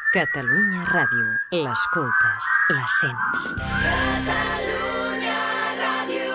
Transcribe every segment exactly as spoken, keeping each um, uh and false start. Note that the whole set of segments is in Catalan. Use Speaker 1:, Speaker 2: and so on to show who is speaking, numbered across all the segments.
Speaker 1: Catalunya Ràdio. L'escoltes, la sents. Catalunya Ràdio.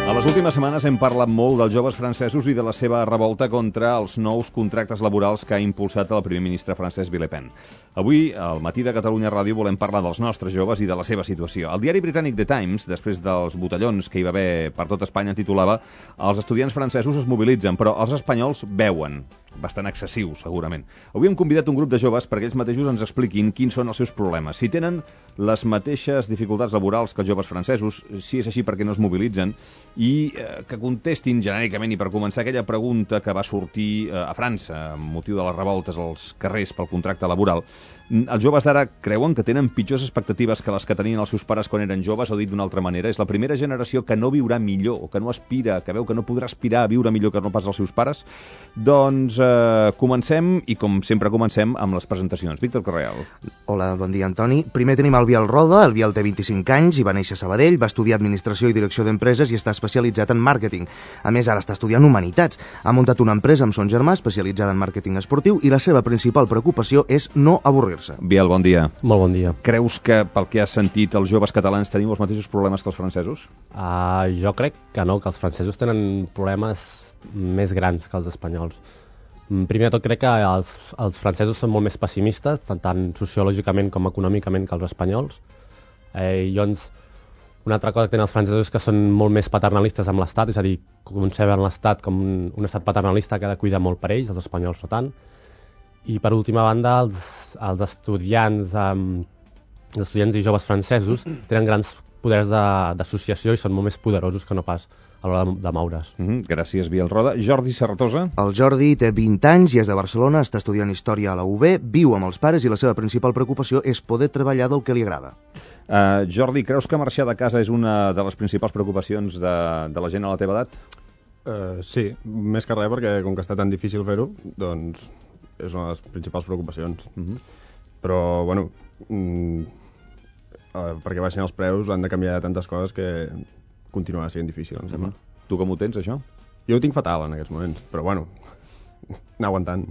Speaker 2: A les últimes setmanes hem parlat molt dels joves francesos i de la seva revolta contra els nous contractes laborals que ha impulsat el primer ministre francès Villepin. Avui, al matí de Catalunya Ràdio, volem parlar dels nostres joves i de la seva situació. El diari britànic The Times, després dels botellons que hi va haver per tot Espanya, titulava «Els estudiants francesos es mobilitzen, però els espanyols beuen». Bastant excessiu, segurament. Avui hem convidat un grup de joves perquè ells mateixos ens expliquin quins són els seus problemes. Si tenen les mateixes dificultats laborals que els joves francesos, si és així perquè no es mobilitzen, i eh, que contestin genèricament, i per començar, aquella pregunta que va sortir eh, a França amb motiu de les revoltes als carrers pel contracte laboral. Els joves d'ara creuen que tenen pitjors expectatives que les que tenien els seus pares quan eren joves, o dit d'una altra manera, és la primera generació que no viurà millor, o que no aspira, que veu que no podrà aspirar a viure millor que no pas els seus pares. Doncs eh, comencem, i com sempre comencem, amb les presentacions. Víctor Correal.
Speaker 3: Hola, bon dia, Antoni. Primer tenim el Biel Roda. El Biel té vint-i-cinc anys i va néixer a Sabadell, va estudiar Administració i Direcció d'Empreses i està especialitzat en màrqueting. A més, ara està estudiant Humanitats. Ha muntat una empresa amb son germà especialitzada en màrqueting esportiu i la seva principal preocupació és no avorrir-se.
Speaker 2: Biel, bon dia.
Speaker 4: Molt bon dia.
Speaker 2: Creus que, pel que has sentit, els joves catalans tenim els mateixos problemes que els francesos?
Speaker 4: Uh, jo crec que no, que els francesos tenen problemes més grans que els espanyols. Primer de tot, crec que els, els francesos són molt més pessimistes, tant, tant sociològicament com econòmicament, que els espanyols. Eh, I llavors, una altra cosa que tenen els francesos és que són molt més paternalistes amb l'Estat, és a dir, conceben l'Estat com un, un estat paternalista que ha de cuidar molt per ells, els espanyols no tant. I per última banda, els, els estudiants um, els estudiants i joves francesos tenen grans poders d'associació i són molt més poderosos que no pas a l'hora de, de moure's.
Speaker 2: Mm -hmm. Gràcies, Biel Roda. Jordi Serratosa.
Speaker 3: El Jordi té vint anys i és de Barcelona, està estudiant Història a la U B, viu amb els pares i la seva principal preocupació és poder treballar del que li agrada.
Speaker 2: Uh, Jordi, creus que marxar de casa és una de les principals preocupacions de, de la gent a la teva edat?
Speaker 5: Uh, sí, més que res perquè com que està tan difícil fer-ho, doncs és una de les principals preocupacions.
Speaker 2: Uh-huh.
Speaker 5: Però, bueno, mm, eh, perquè baixin els preus han de canviar tantes coses que continuarà sent difícil, em sembla.
Speaker 2: Uh-huh. Tu com ho tens, això?
Speaker 5: Jo ho tinc fatal en aquests moments, però, bueno, anar aguantant.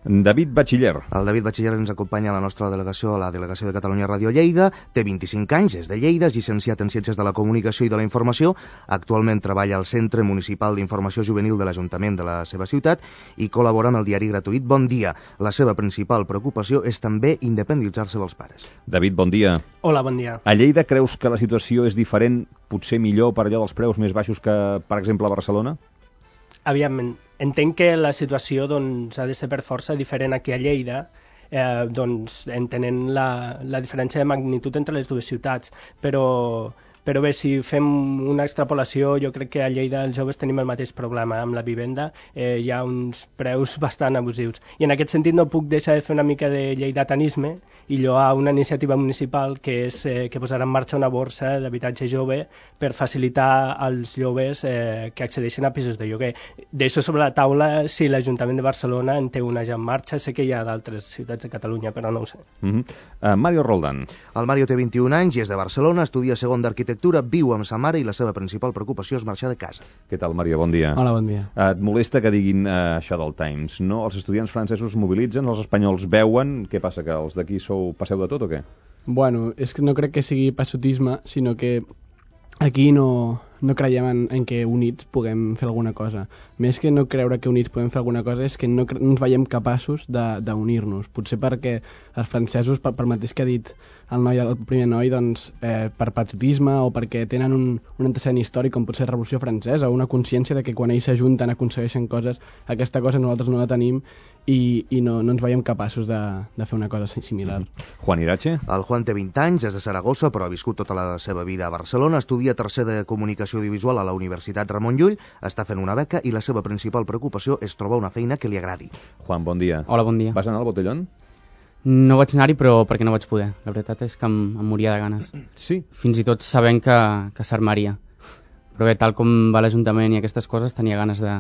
Speaker 2: David Batxiller.
Speaker 3: El David Batxiller ens acompanya a la nostra delegació, a la delegació de Catalunya Ràdio Lleida, té vint-i-cinc anys, és de Lleida, és llicenciat en Ciències de la Comunicació i de la Informació, actualment treballa al Centre Municipal d'Informació Juvenil de l'Ajuntament de la seva ciutat i col·labora amb el diari gratuït Bon Dia. La seva principal preocupació és també independitzar-se dels pares.
Speaker 2: David, bon dia.
Speaker 6: Hola, bon dia.
Speaker 2: A Lleida creus que la situació és diferent, potser millor per allò dels preus més baixos que, per exemple, a Barcelona?
Speaker 6: Aviam, entenc que la situació doncs, ha de ser per força diferent aquí a Lleida, eh, doncs, entenent la, la diferència de magnitud entre les dues ciutats, però, però bé, si fem una extrapolació, jo crec que a Lleida els joves tenim el mateix problema amb la vivenda, eh, hi ha uns preus bastant abusius. I en aquest sentit no puc deixar de fer una mica de lleidatanisme i lloar una iniciativa municipal que és eh, que posarà en marxa una borsa d'habitatge jove per facilitar als joves eh, que accedeixen a pisos de lloguer. Deixo sobre la taula si l'Ajuntament de Barcelona en té una ja en marxa, sé que hi ha d'altres ciutats de Catalunya, però no ho sé.
Speaker 2: Uh-huh. uh, Mario Roldán.
Speaker 3: El Mario té vint-i-un anys i és de Barcelona, estudia segon d'Arquitectura, viu amb sa mare i la seva principal preocupació és marxar de casa.
Speaker 2: Què tal, Mario? Bon dia.
Speaker 4: Hola, bon dia.
Speaker 2: Uh, et molesta que diguin uh, això del Times, no? Els estudiants francesos es mobilitzen, els espanyols beuen, què passa, que els d'aquí sou passeu de tot o què?
Speaker 7: Bueno, és que no crec que sigui passotisme, sinó que aquí no, no creiem en, en que units puguem fer alguna cosa. Més que no creure que units puguem fer alguna cosa és que no, no ens veiem capaços d'unir-nos. Potser perquè els francesos, per, per mateix que ha dit el, noi, el primer noi, doncs, eh, per patriotisme o perquè tenen un, un antecedent històric com pot ser la Revolució Francesa, o una consciència de que quan ells s'ajunten aconsegueixen coses, aquesta cosa nosaltres no la tenim i, i no, no ens veiem capaços de, de fer una cosa similar.
Speaker 2: Mm-hmm. Juan Irache?
Speaker 3: El Juan té vint anys, és de Saragossa, però ha viscut tota la seva vida a Barcelona, estudia tercer de Comunicació Audiovisual a la Universitat Ramon Llull, està fent una beca i la seva principal preocupació és trobar una feina que li agradi.
Speaker 2: Juan, bon dia.
Speaker 8: Hola, bon dia.
Speaker 2: Vas anar al botellón?
Speaker 8: No vaig anar-hi, però perquè no vaig poder. La veritat és que em, em moria de ganes.
Speaker 2: Sí?
Speaker 8: Fins i tot sabent que, que s'armaria. Però bé, tal com va l'Ajuntament i aquestes coses, tenia ganes de,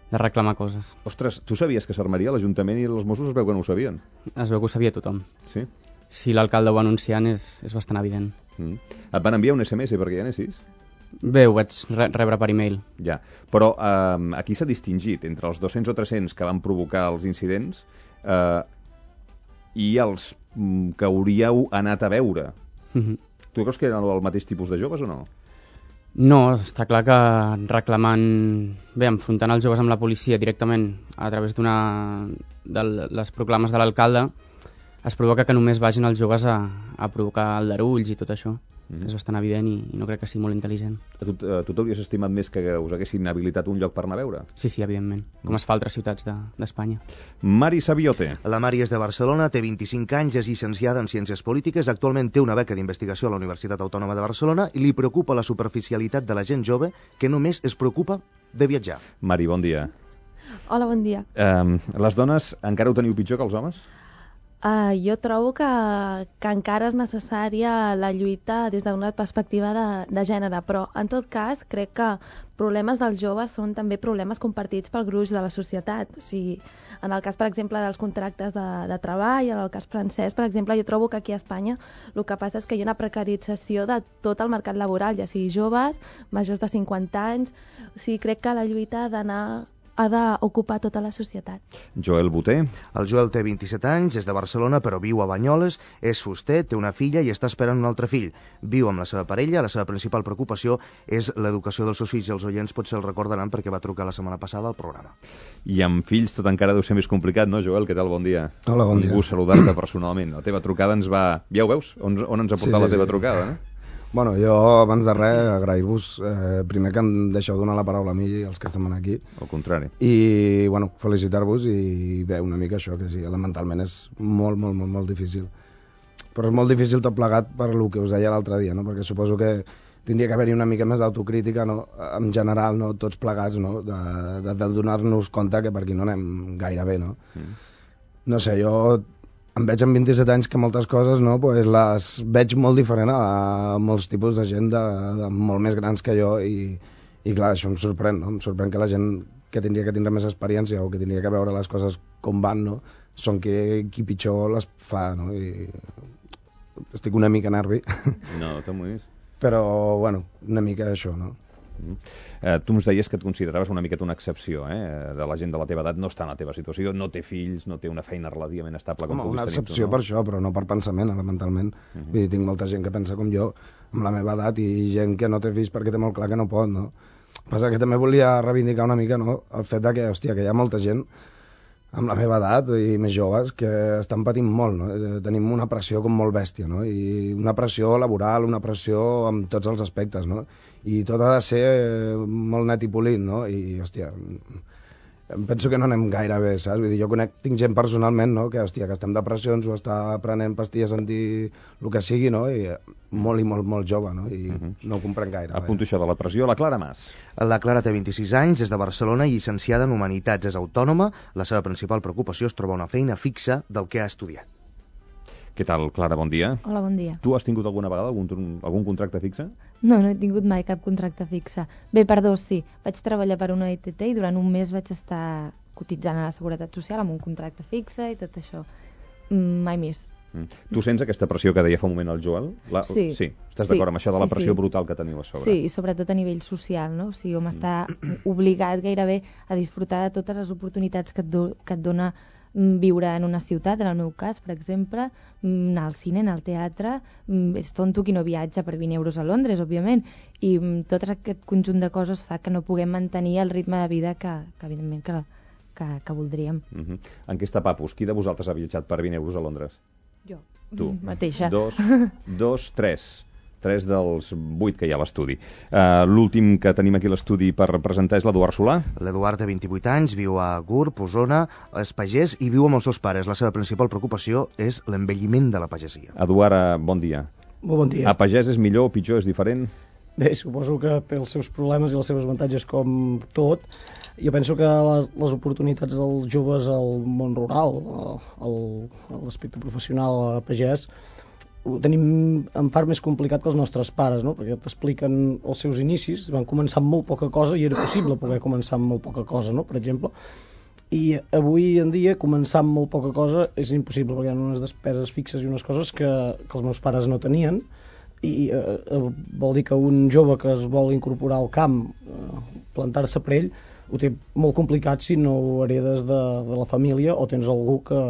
Speaker 8: de reclamar coses.
Speaker 2: Ostres, tu sabies que s'armaria l'Ajuntament i els Mossos es veu que no ho sabien?
Speaker 8: Es veu que ho sabia tothom.
Speaker 2: Sí?
Speaker 8: Si l'alcalde ho va anunciant és, és bastant evident.
Speaker 2: Mm. Et van enviar un S M S perquè hi anessis?
Speaker 8: Bé, ho vaig re rebre per e-mail.
Speaker 2: Ja, però eh, aquí s'ha distingit entre els dos-cents o tres-cents que van provocar els incidents eh, i els mm, que hauríeu anat a veure.
Speaker 8: Mhm.
Speaker 2: Tu creus que eren el mateix tipus de joves o no?
Speaker 8: No, està clar que reclamant, bé, enfrontant els joves amb la policia directament a través d'una de les proclames de l'alcalde, es provoca que només vagin els joves a, a provocar aldarulls i tot això. Mm. És bastant evident i, i no crec que sigui molt intel·ligent.
Speaker 2: A tu a tu t'hauries estimat més que us haguessin habilitat un lloc per anar a veure?
Speaker 8: Sí, sí, evidentment, com es fa a altres ciutats d'Espanya.
Speaker 2: De, Mari Sabiote.
Speaker 3: La Mari és de Barcelona, té vint-i-cinc anys, és llicenciada en Ciències Polítiques, actualment té una beca d'investigació a la Universitat Autònoma de Barcelona i li preocupa la superficialitat de la gent jove que només es preocupa de viatjar.
Speaker 2: Mari, bon dia.
Speaker 9: Hola, bon dia.
Speaker 2: Um, les dones encara ho teniu pitjor que els homes?
Speaker 9: Uh, jo trobo que, que encara és necessària la lluita des d'una perspectiva de, de gènere, però en tot cas crec que problemes dels joves són també problemes compartits pel gruix de la societat. O sigui, en el cas, per exemple, dels contractes de, de treball, en el cas francès, per exemple, jo trobo que aquí a Espanya el que passa és que hi ha una precarització de tot el mercat laboral, ja sigui joves, majors de cinquanta anys. O sigui, crec que la lluita ha d'anar ha d'ocupar tota la societat.
Speaker 2: Joel Boter.
Speaker 3: El Joel té vint-i-set anys, és de Barcelona, però viu a Banyoles, és fuster, té una filla i està esperant un altre fill. Viu amb la seva parella, la seva principal preocupació és l'educació dels seus fills i els oients potser el recordaran perquè va trucar la setmana passada al programa.
Speaker 2: I amb fills tot encara deu ser més complicat, no, Joel? Què tal? Bon dia.
Speaker 10: Hola, bon dia.
Speaker 2: Un gust saludar-te personalment. La teva trucada ens va... Ja ho veus? On, on ens ha portat sí, sí, la teva sí. trucada, no?
Speaker 10: Bueno, jo, abans de res, agrair-vos eh, primer que em deixeu donar la paraula a mi i als que estem aquí.
Speaker 2: Al contrari.
Speaker 10: I, bueno, felicitar-vos i bé, una mica això, que sí, elementalment és molt, molt, molt, molt difícil. Però és molt difícil tot plegat per el que us deia l'altre dia, no? Perquè suposo que tindria que haver-hi una mica més d'autocrítica, no? En general, no? Tots plegats, no? De, de, de donar-nos compte que per aquí no anem gaire bé, no? Mm. No sé, jo... em veig amb vint-i-set anys que moltes coses no, pues les veig molt diferent a molts tipus de gent de, de molt més grans que jo i, i clar, això em sorprèn, no? Em sorprèn que la gent que tindria que tindre més experiència o que tindria que veure les coses com van, no? Són qui, qui pitjor les fa, no? I estic una mica nervi.
Speaker 2: No, t'amoïs.
Speaker 10: Però, bueno, una mica això, no?
Speaker 2: Mm. Eh, tu ens deies que et consideraves una miqueta una excepció, eh? De la gent de la teva edat no està en la teva situació, no té fills, no té una feina relativament estable com
Speaker 10: Home,
Speaker 2: puguis
Speaker 10: una
Speaker 2: tenir
Speaker 10: excepció
Speaker 2: tu, no?
Speaker 10: Per això, però no per pensament, elementalment. Uh -huh. Vull dir, tinc molta gent que pensa com jo, amb la meva edat, i gent que no té fills perquè té molt clar que no pot, no? Passa que també volia reivindicar una mica, no?, el fet de que, hòstia, que hi ha molta gent amb la meva edat i més joves que estan patint molt, no? Tenim una pressió com molt bèstia, no? I una pressió laboral, una pressió en tots els aspectes, no? I tot ha de ser molt net i polit, no? I, hòstia, em penso que no anem gaire bé, saps? Vull dir, jo conec, tinc gent personalment, no?, que, hòstia, que està en depressions o està prenent pastilles anti... el que sigui, no?, i molt i molt, molt jove, no?, i uh -huh. no ho comprenc gaire.
Speaker 2: Apunto això de la pressió. La Clara Mas.
Speaker 3: La Clara té vint-i-sis anys, és de Barcelona, llicenciada en Humanitats, és autònoma, la seva principal preocupació és trobar una feina fixa del que ha estudiat.
Speaker 2: Què tal, Clara? Bon dia.
Speaker 9: Hola, bon dia.
Speaker 2: Tu has tingut alguna vegada algun, algun contracte fixe?
Speaker 9: No, no he tingut mai cap contracte fixe. Bé, perdó, sí. Vaig treballar per una E T T i durant un mes vaig estar cotitzant a la Seguretat Social amb un contracte fixe i tot això. Mm, mai més.
Speaker 2: Mm. Tu sents aquesta pressió que deia fa un moment el Joel? La...
Speaker 9: Sí.
Speaker 2: Sí. Estàs
Speaker 9: sí.
Speaker 2: d'acord amb això de la
Speaker 9: sí,
Speaker 2: pressió
Speaker 9: sí.
Speaker 2: brutal que teniu a sobre?
Speaker 9: Sí, i sobretot a nivell social, no? O sigui, hom està obligat gairebé a disfrutar de totes les oportunitats que et, do, que et dona viure en una ciutat, en el meu cas, per exemple, anar al cine, anar al teatre, és tonto qui no viatja per vint euros a Londres, òbviament, i tot aquest conjunt de coses fa que no puguem mantenir el ritme de vida que, que evidentment, que, que, que voldríem.
Speaker 2: Uh -huh. En què està Papus? Qui de vosaltres ha viatjat per vint euros a Londres?
Speaker 9: Jo.
Speaker 2: Tu.
Speaker 9: Mateixa.
Speaker 2: Dos, dos, tres. Tres dels vuit que hi ha a l'estudi. Uh, L'últim que tenim aquí a l'estudi per presentar és l'Eduard Solà.
Speaker 3: L'Eduard té vint-i-vuit anys, viu a Gurb, Osona, és pagès i viu amb els seus pares. La seva principal preocupació és l'envelliment de la pagesia.
Speaker 2: Eduard, bon dia.
Speaker 11: Molt bon dia.
Speaker 2: A pagès és millor o pitjor, és diferent?
Speaker 11: Bé, suposo que té els seus problemes i els seus avantatges com tot. Jo penso que les, les oportunitats dels joves al món rural, a l'aspecte professional a pagès, ho tenim en part més complicat que els nostres pares, no? Perquè t'expliquen els seus inicis, van començar amb molt poca cosa i era possible poder començar amb molt poca cosa, no? Per exemple, i avui en dia començar amb molt poca cosa és impossible perquè hi ha unes despeses fixes i unes coses que, que els meus pares no tenien, i eh, vol dir que un jove que es vol incorporar al camp, eh, plantar-se per ell, ho té molt complicat si no ho heredes de, de la família o tens algú que,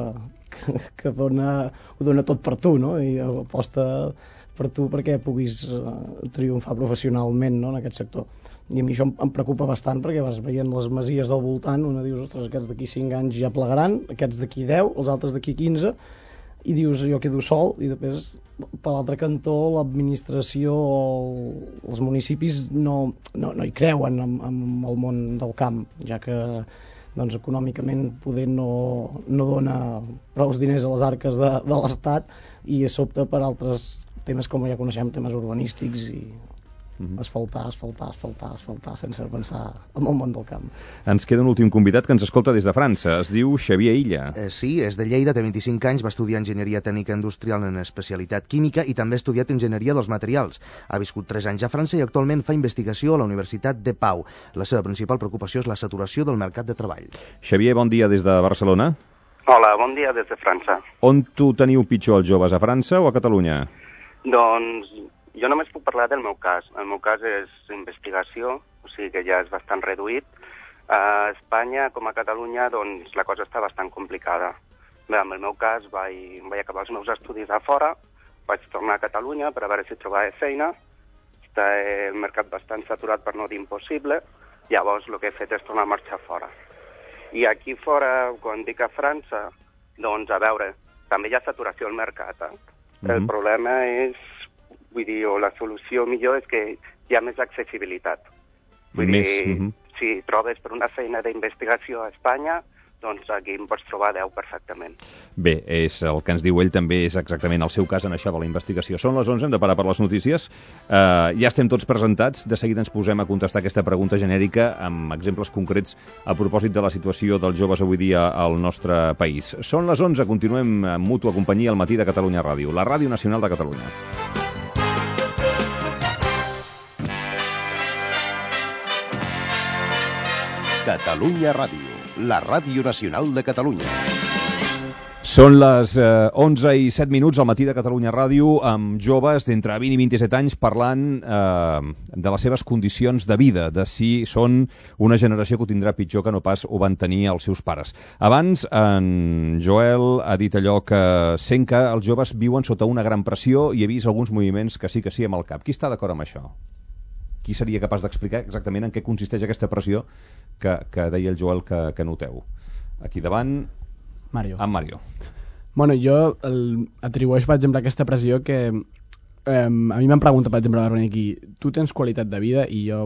Speaker 11: que, que dona, ho dona tot per tu, no? I aposta per tu perquè puguis uh, triomfar professionalment, no? En aquest sector. I a mi això em, em preocupa bastant perquè vas veient les masies del voltant, una dius, ostres, aquests d'aquí cinc anys ja plegaran, aquests d'aquí deu, els altres d'aquí quinze, i dius, jo quedo sol, i després per l'altre cantó l'administració o els municipis no, no, no hi creuen en, en el món del camp, ja que doncs, econòmicament poder no, no dona prou diners a les arques de, de l'Estat i s'opta per altres temes com ja coneixem, temes urbanístics i mm-hmm. asfaltar, asfaltar, asfaltar, asfaltar sense pensar en el món del camp.
Speaker 2: Ens queda un últim convidat que ens escolta des de França. Es diu Xavier Illa.
Speaker 3: Eh, sí, és de Lleida, té vint-i-cinc anys, va estudiar Enginyeria Tècnica Industrial en especialitat química i també ha estudiat Enginyeria dels Materials. Ha viscut tres anys a França i actualment fa investigació a la Universitat de Pau. La seva principal preocupació és la saturació del mercat de treball.
Speaker 2: Xavier, bon dia des de Barcelona.
Speaker 12: Hola, bon dia des de França.
Speaker 2: On tu teniu pitjor, els joves, a França o a Catalunya?
Speaker 12: Doncs jo només puc parlar del meu cas. El meu cas és investigació, o sigui que ja és bastant reduït. A Espanya, com a Catalunya, doncs la cosa està bastant complicada. Bé, en el meu cas vaig, vaig acabar els meus estudis a fora, vaig tornar a Catalunya per a veure si trobava feina. Està el mercat bastant saturat per no dir impossible, llavors el que he fet és tornar a marxar fora. I aquí fora, quan dic a França, doncs a veure, també hi ha saturació al mercat, eh? Mm-hmm. El problema és, vull dir, o la solució millor és que hi ha més accessibilitat. Vull
Speaker 2: més,
Speaker 12: dir,
Speaker 2: mm-hmm.
Speaker 12: si trobes per una feina d'investigació a Espanya, doncs aquí en pots trobar deu perfectament.
Speaker 2: Bé, és el que ens diu ell, també és exactament el seu cas en això de la investigació. Són les onze, hem de parar per les notícies. Uh, ja estem tots presentats, de seguida ens posem a contestar aquesta pregunta genèrica amb exemples concrets a propòsit de la situació dels joves avui dia al nostre país. Són les onze, continuem amb Mútua Companyia al matí de Catalunya Ràdio, la ràdio nacional de Catalunya.
Speaker 13: Catalunya Ràdio, la ràdio nacional de Catalunya.
Speaker 2: Són les eh, onze i set minuts al matí de Catalunya Ràdio amb joves d'entre vint i vint-i-set anys parlant eh, de les seves condicions de vida, de si són una generació que ho tindrà pitjor que no pas ho van tenir els seus pares. Abans, en Joel ha dit allò que sent que els joves viuen sota una gran pressió i he vist alguns moviments que sí que sí amb el cap. Qui està d'acord amb això? Qui seria capaç d'explicar exactament en què consisteix aquesta pressió que, que deia el Joel que, que noteu? Aquí davant...
Speaker 7: Mario.
Speaker 2: En Mario.
Speaker 7: Bueno, jo el, atribueix, per exemple, aquesta pressió que eh, a mi m'han preguntat, per exemple, venir aquí, tu tens qualitat de vida? I jo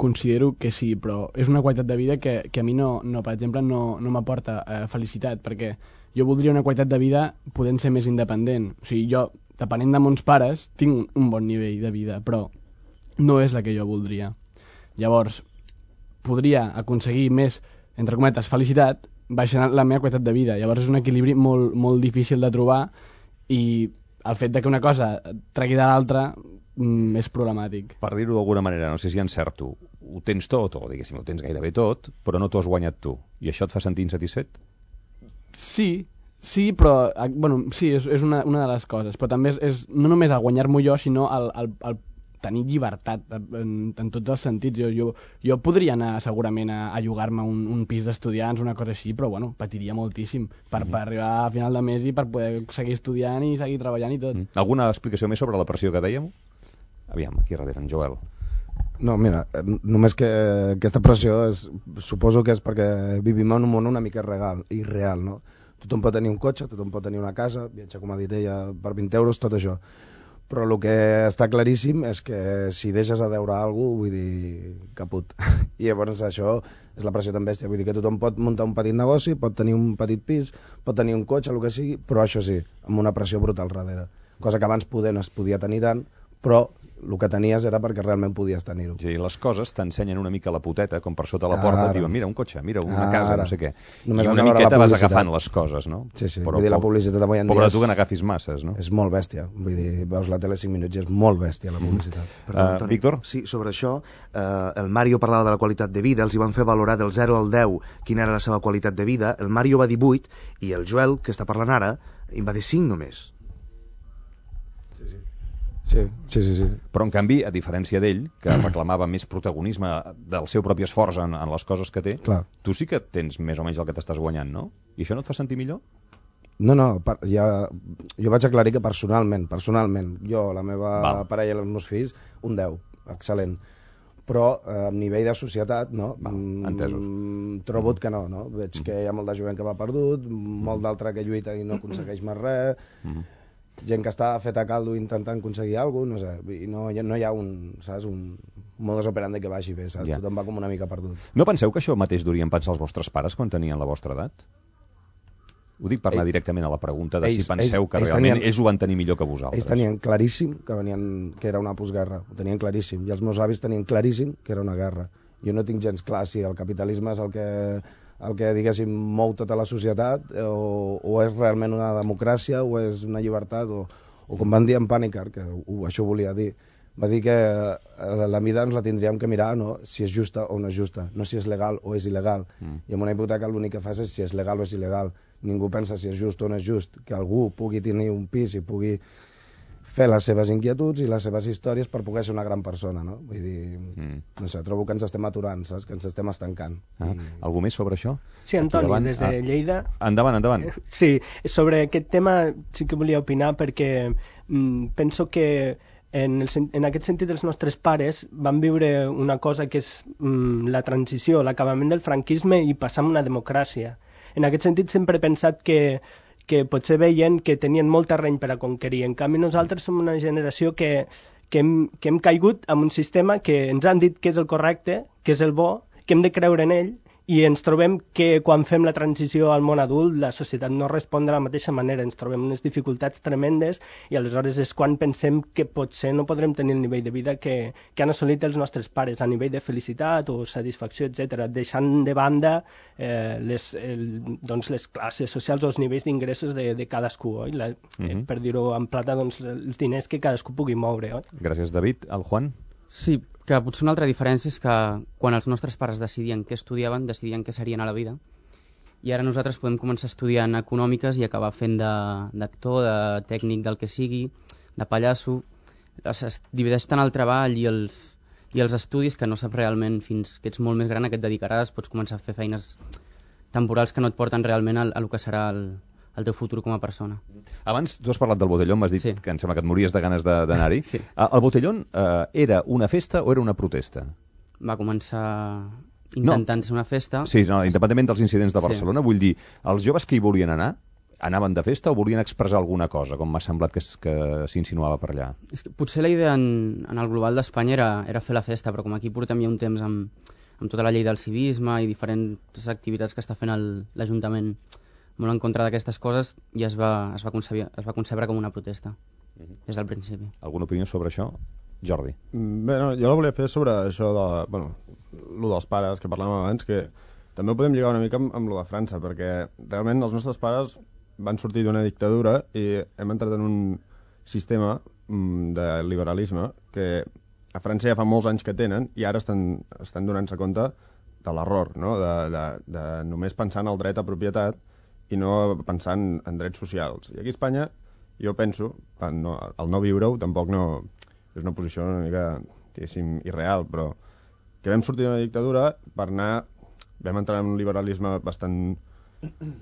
Speaker 7: considero que sí, però és una qualitat de vida que, que a mi no, no per exemple, no, no m'aporta eh, felicitat, perquè jo voldria una qualitat de vida podent ser més independent. O sigui, jo, depenent de mons pares, tinc un bon nivell de vida, però no és la que jo voldria. Llavors, podria aconseguir més, entre cometes, felicitat, baixant la meva qualitat de vida. Llavors és un equilibri molt, molt difícil de trobar i el fet de que una cosa tregui de l'altra mm, és problemàtic.
Speaker 2: Per dir-ho d'alguna manera, no sé si encerto, ho tens tot, o diguéssim, ho tens gairebé tot, però no t'ho has guanyat tu. I això et fa sentir insatisfet?
Speaker 7: Sí, sí, però bueno, sí, és, és una, una de les coses, però també és, és no només el guanyar-m'ho jo, sinó el, el, el tenir llibertat en, en tots els sentits. Jo, jo, jo podria anar segurament a, a llogar-me un, un pis d'estudiants, una cosa així, però bueno, patiria moltíssim per, mm-hmm. per arribar a final de mes i per poder seguir estudiant i seguir treballant i tot.
Speaker 2: Mm. Alguna explicació més sobre la pressió que dèiem? Aviam, aquí darrere, en Joel.
Speaker 10: No, mira, només que aquesta pressió és, suposo que és perquè vivim en un món una mica regal, irreal, no? Tothom pot tenir un cotxe, tothom pot tenir una casa, viatjar, com ha dit ella, per vint euros, tot això. Però el que està claríssim és que si deixes a deure alguna cosa, vull dir, caput. I llavors això és la pressió tan bèstia. Vull dir que tothom pot muntar un petit negoci, pot tenir un petit pis, pot tenir un cotxe, el que sigui, però això sí, amb una pressió brutal darrere. Cosa que abans poder no es podia tenir tant, però el que tenies era perquè realment podies tenir-ho.
Speaker 2: Sí, les coses t'ensenyen una mica la poteta, com per sota la porta, et diuen, mira, un cotxe, mira, una Ara. casa, no sé què.
Speaker 10: Només
Speaker 2: I una miqueta vas agafant les coses, no?
Speaker 10: Sí, sí,
Speaker 2: però,
Speaker 10: vull dir, la publicitat avui en dia...
Speaker 2: Pobre tu que n'agafis masses, no?
Speaker 10: És molt bèstia, vull dir, veus la tele cinc minuts i és molt bèstia la publicitat.
Speaker 3: Mm. Perdó, Antoni.
Speaker 2: Uh, Víctor?
Speaker 3: Sí, sobre això, eh, el Mario parlava de la qualitat de vida, els hi van fer valorar del zero al deu quina era la seva qualitat de vida, el Mario va dir vuit i el Joel, que està parlant ara, em va dir cinc només.
Speaker 10: Sí, sí. Sí, sí, sí, sí.
Speaker 2: Però, en canvi, a diferència d'ell, que reclamava més protagonisme del seu propi esforç en, en les coses que té,
Speaker 10: Clar.
Speaker 2: tu sí que tens més o menys el que t'estàs guanyant, no? I això no et fa sentir millor?
Speaker 10: No, no, per, ja, jo vaig aclarir que personalment, personalment, jo, la meva
Speaker 2: Val.
Speaker 10: parella i els meus fills, un deu, excel·lent. Però eh, a nivell de societat, no?
Speaker 2: Val, entesos.
Speaker 10: Mm, trobo mm. que no, no? Veig mm. que hi ha molt de jovent que va perdut, molt d'altre que lluita i no aconsegueix més res, mm. gent que està feta a caldo intentant aconseguir alguna cosa, no sé, i no, no hi ha un, saps, un modus operandi que vagi bé, saps? Ja. Tothom va com una mica perdut.
Speaker 2: No penseu que això mateix durien pensar els vostres pares quan tenien la vostra edat? Ho dic per anar Ell, directament a la pregunta de ells, si penseu ells, que ells realment tenien, ells ho van tenir millor que vosaltres.
Speaker 10: Ells tenien claríssim que, venien, que era una postguerra, ho tenien claríssim, i els meus avis tenien claríssim que era una guerra. Jo no tinc gens clar si el capitalisme és el que, el que diguéssim, mou tota la societat, o, o és realment una democràcia, o és una llibertat, o, o com van dir en Panikkar, que uh, això volia dir, va dir que la vida ens la tindríem que mirar, no? Si és justa o no és justa, no si és legal o és il·legal. Mm. I amb una hipoteca l'únic que fas és si és legal o és il·legal. Ningú pensa si és just o no és just, que algú pugui tenir un pis i pugui fer les seves inquietuds i les seves històries per poder ser una gran persona, no? Vull dir, mm. no sé, trobo que ens estem aturant, saps? Que ens estem estancant.
Speaker 2: Ah, I... Algú més sobre això?
Speaker 6: Sí, Antoni, davant, des de ah, Lleida.
Speaker 2: Endavant, endavant.
Speaker 6: Sí, sobre aquest tema sí que volia opinar perquè mm, penso que en, el, en aquest sentit els nostres pares van viure una cosa que és mm, la transició, l'acabament del franquisme i passar a una democràcia. En aquest sentit sempre he pensat que, que potser veien que tenien molt terreny per a conquerir. En canvi nosaltres som una generació que, que, hem, que hem caigut en un sistema que ens han dit que és el correcte, que és el bo, que hem de creure en ell, i ens trobem que quan fem la transició al món adult la societat no respon de la mateixa manera, ens trobem unes dificultats tremendes i aleshores és quan pensem que potser no podrem tenir el nivell de vida que, que han assolit els nostres pares a nivell de felicitat o satisfacció, etcètera, deixant de banda eh, les, el, doncs les classes socials o els nivells d'ingressos de, de cadascú, oi? La, uh-huh. eh, per dir-ho en plata, doncs, els diners que cadascú pugui moure. Oi?
Speaker 2: Gràcies, David. El Juan?
Speaker 8: Sí, que potser una altra diferència és que quan els nostres pares decidien què estudiaven, decidien què serien a la vida, i ara nosaltres podem començar estudiant econòmiques i acabar fent d'actor, de, de tècnic del que sigui, de pallasso. Es divideix tant el treball i els, i els estudis que no saps realment fins que ets molt més gran a què et dedicaràs, pots començar a fer feines temporals que no et porten realment a, a el que serà el, el teu futur com a persona.
Speaker 2: Abans tu has parlat del Botellón, m'has dit sí. que em sembla que et mories de ganes d'anar-hi.
Speaker 8: Sí.
Speaker 2: El Botellón eh, era una festa o era una protesta?
Speaker 8: Va començar intentant no. ser una festa.
Speaker 2: Sí, no, independentment dels incidents de Barcelona, sí. vull dir, els joves que hi volien anar, anaven de festa o volien expressar alguna cosa, com m'ha semblat que, que s'insinuava per allà?
Speaker 8: És que potser la idea en, en el global d'Espanya era, era fer la festa, però com aquí portem ja un temps amb, amb tota la llei del civisme i diferents activitats que està fent l'Ajuntament molt en contra d'aquestes coses, i es va, es va, concebre, es va concebre com una protesta uh-huh. des del principi.
Speaker 2: Alguna opinió sobre això? Jordi.
Speaker 5: Bé, no, jo la volia fer sobre això de, bueno, lo dels pares que parlàvem abans, que també ho podem lligar una mica amb, amb lo de França, perquè realment els nostres pares van sortir d'una dictadura i hem entrat en un sistema mm, de liberalisme que a França ja fa molts anys que tenen i ara estan, estan donant-se compte de l'error, no? de, de, de només pensar en el dret a propietat i no pensant en drets socials. I aquí a Espanya, jo penso, no, el no viure-ho tampoc no és una posició una mica, diguéssim, irreal, però que vam sortir d'una dictadura per anar, vam entrar en un liberalisme bastant